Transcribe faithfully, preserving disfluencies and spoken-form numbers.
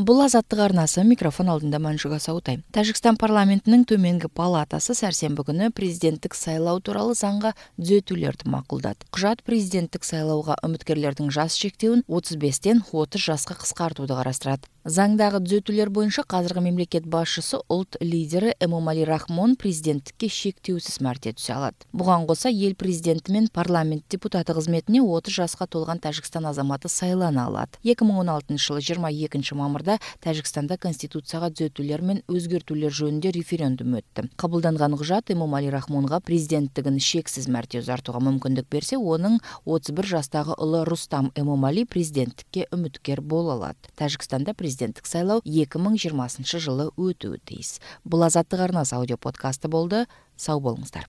Бул Азаттык арнасы, микрофон алдында Манжуга Саутай. Тажикстан парламентинин төменги палатасы сәрсенбі күнү президенттик сайлоо тууралуу заңга түзөтүүлөрдү макулдады. Кужат президенттик сайлоого үмүткерлердин жаш чектөөүн отуз бештен отуз жашка кыскартууду карастырат. Заңдагы түзөтүүлөр боюнча казыркы мамлекет башчысы улут лидери Эмомали Рахмон президенттикке шектүүсүз мәрте түшө алат. Буга кошо эл президенти менен парламент депутаты кызметине отуз жашка толгон Тажикстан азаматы сайлана алат. эки миң он алтынчы жылы жыйырма экинчи мамырда Тажикстанда конституцияга түзөтүүлөр менен өзгөртүүлөр жөнүндө референдум өттү. Кабылданган кужат Эмомали Рахмонго президенттигин шексиз мәрте узартууга мүмкүндүк берсе, онун отуз бир жаштагы улы Рустам Эмомали президенттикке үмүткер боло алат. Тажикстанда президенттик сайлоо эки миң жыйырмасынчы жылы өтүүгө тийиз. Бул Азаттык арнасы аудио подкасты болду. Сау болуңуздар.